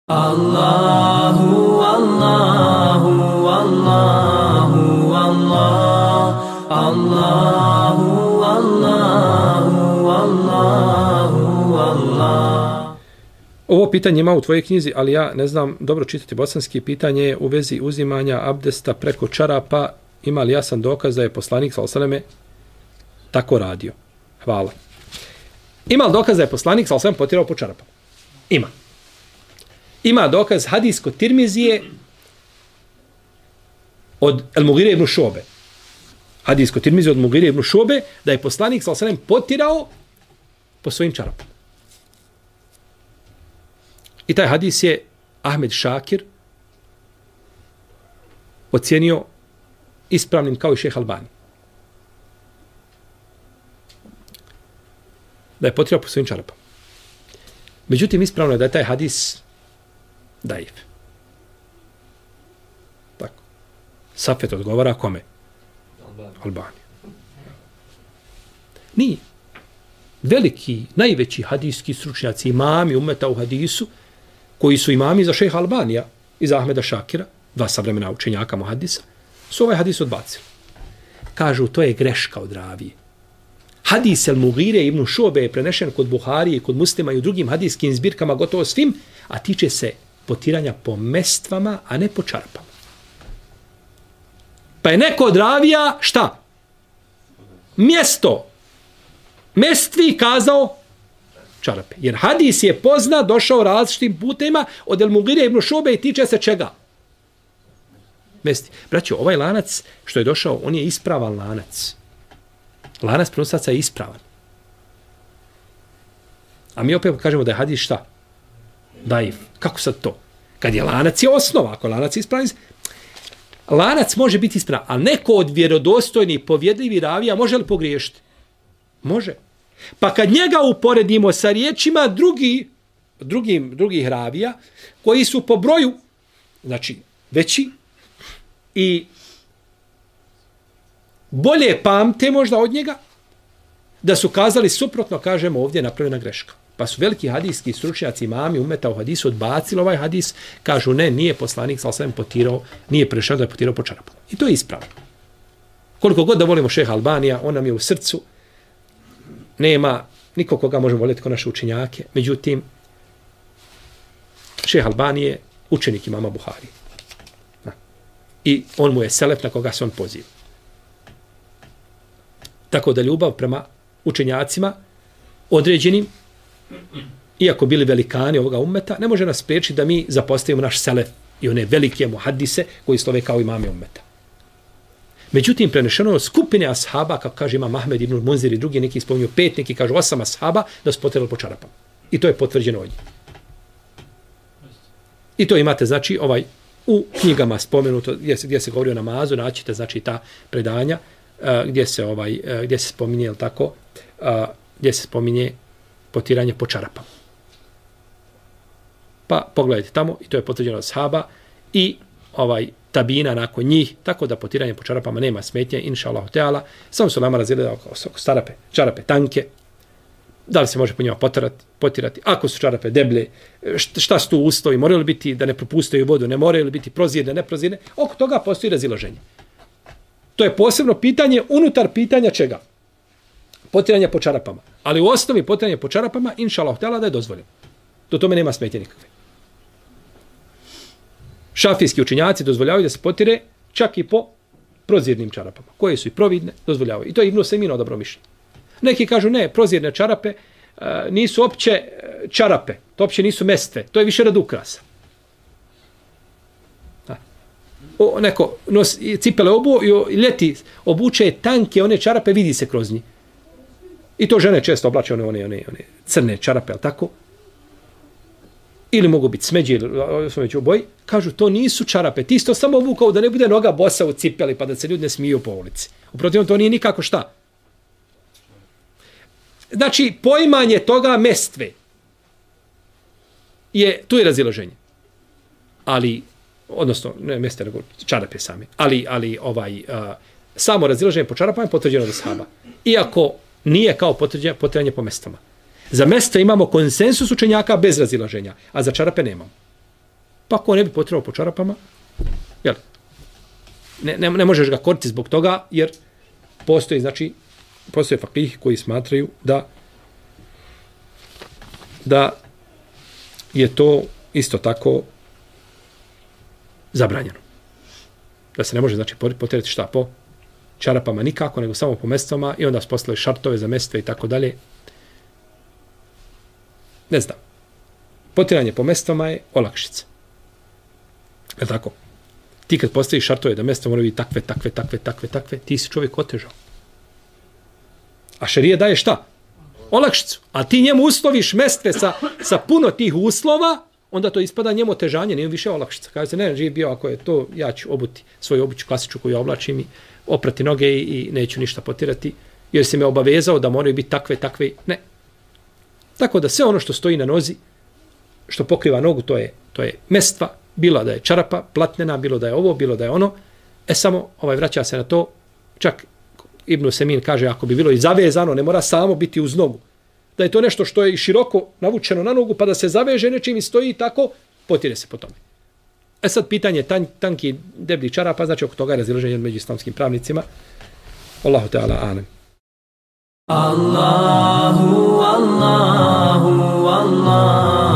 Allahu, Allahu, Allahu, Allah, Allahu, Allahu, Allahu, Allah. Ovo pitanje ima u tvojoj knjizi, ali ja ne znam dobro čitati bosanski. Pitanje je u vezi uzimanja abdesta preko čarapa. Ima li jasan dokaz da je poslanik sallallahu alejhi ve selleme tako radio? Hvala. Ima li dokaz da je poslanik sallallahu alejhi ve selleme potirao po čarapama? Ima. Ima dokaz hadis kod Tirmizije od Al-Mughire ibn Šobe. Hadis kod Tirmizije od Mughire ibn Šobe da je poslanik sallallahu alejhi ve selleme potirao po svojim čarapama. I taj hadis je Ahmed Šakir ocijenio ispravnim kao i šejh Albani. Da je potirao po svojim čarapama. Međutim, ispravno je da je taj hadis daif. Tako. Safet odgovara kome? Albani. Nije. Veliki, najveći hadijski stručnjaci, imami umeta u hadisu, koji su imami za šejha Albanija i za Ahmeda Šakira, dva savremena učenjaka muhadisa, su ovaj hadis odbacili. Kažu, to je greška od ravije. Hadis Al-Mughire ibn Šobe je prenešen kod Buharije, kod Muslima i u drugim hadijskim zbirkama gotovo svim, a tiče se potiranja po mestvama, a ne po čarapama. Pa je neko od ravija, šta? Mjesto. Mestvi kazao čarape. Jer hadis je pozna, došao različitim putima od Al-Mughire ibn Šobe i tiče se čega? Mesti. Braćo, ovaj lanac što je došao, on je ispravan lanac. Lanac prenosaca je ispravan. A mi opet kažemo da je hadis šta? Daif. Kako sad to? Kad je lanac je osnova, ako lanac je ispravan, lanac može biti ispravan, ali neko od vjerodostojnih povjedljivi ravija može li pogriješiti? Može. Pa kad njega uporedimo sa riječima drugih ravija, koji su po broju, znači veći i bolje pamte možda od njega, da su kazali suprotno, kažemo ovdje je napravljena greška. Pa su veliki hadijski stručnjaci imami umeta u hadisu odbacili ovaj hadis, kažu ne, nije poslanik sallallahu alejhi ve sellem potirao, nije prešao da je potirao po čarapama. I to je ispravno. Koliko god da volimo šejha Albanija, on nam je u srcu, nema niko koga možemo voljeti kao naše učenjake, međutim, šejh Albani je učenik imama Buhari. I on mu je selef na koga se on poziva. Tako da ljubav prema učenjacima određenim, iako bili velikani ovoga ummeta, ne može nas spriječiti da mi zapostavimo naš selef i one velike muhadise koji slove kao imame ummeta. Međutim, prenešeno je od skupine ashaba, kako kaže imam Ahmed ibn Munzir i drugi, neki spominju 5, neki kažu 8 ashaba, da su potirali po čarapama. I to je potvrđeno od njih. I to imate, znači, u knjigama spomenuto, gdje se govori o namazu, naćite, znači, ta predanja, gdje se spominje, jel tako, gdje se spominje potiranje po čarapama. Pa pogledajte tamo, i to je potvrđeno od ashaba, i tabina nakon njih, tako da potiranje po čarapama nema smetnje, inša Allah teala. Samo su lama razili oko čarape tanke, da li se može po njima potirati, ako su čarape deblje, šta su tu uslovi, moraju li biti da ne propustaju vodu, ne moraju li biti prozirne, neprozirne, oko toga postoji razilaženje. To je posebno pitanje unutar pitanja čega? Potiranje po čarapama. Ali u osnovi potiranje po čarapama, inša Allah teala, da je dozvoljeno. Do tome nema smetnje nikakve. Šafijski učenjaci dozvoljavaju da se potire čak i po prozirnim čarapama, koje su i providne, dozvoljavaju. I to je Ibn Usejmin odabro mišljenje. Neki kažu ne, prozirne čarape nisu opće čarape, to opće nisu mestve, to je više rad ukrasa. Neko cipele obuo i ljeti obuče tanke, one čarape, vidi se kroz njih. I to žene često oblače one crne čarape, ali tako? Ili mogu biti smeđe, ili smo već u boji, kažu to nisu čarape, ti isto samo obukao da ne bude noga bosa u cipeli pa da se ljudi ne smiju po ulici. Uprotivno to nije nikako šta. Znači, poimanje toga mestve tu je razilaženje. Ali, odnosno, ne mestve, nego čarape same, ali samo razilaženje po čarapama je potvrđeno od ashaba. Iako nije kao potvrđenje po mestvama. Za mesta imamo konsensus učenjaka bez razilaženja, a za čarape nemamo. Pa ako ne bi potrebao po čarapama, jel, ne možeš ga koristiti zbog toga, jer postoje fakih koji smatraju da je to isto tako zabranjeno. Da se ne može, znači, potjerati šta po čarapama nikako, nego samo po mestvama i onda postoje šartove za mestve i tako dalje. Ne znam. Potjeranje po mestvama je olakšica. Je tako? Ti kad postaviš šartove da mestva moraju biti takve, ti si čovjek otežao. A šerija daje šta? Olakšicu. A ti njemu usloviš mestve sa puno tih uslova, onda to ispada njemu otežanje, nije više olakšica. Kaže se, ne, živ bio, ako je to, ja ću obuti svoju obuću klasičnu koju oblačim i oprati noge i neću ništa potirati, jer se me obavezao da moraju biti takve, ne. Tako da sve ono što stoji na nozi, što pokriva nogu, to je mestva, bilo da je čarapa, platnena, bilo da je ovo, bilo da je ono, samo vraća se na to, čak Ibn Semin kaže, ako bi bilo i zavezano, ne mora samo biti uz nogu, da je to nešto što je široko navučeno na nogu, pa da se zaveže nečim i stoji tako, potire se po tome. Sad pitanje tanki deblji čarapa, znači oko toga je razilaženje među islamskim pravnicima. Allahu Teala anem. Allahu, Allahu, Allahu.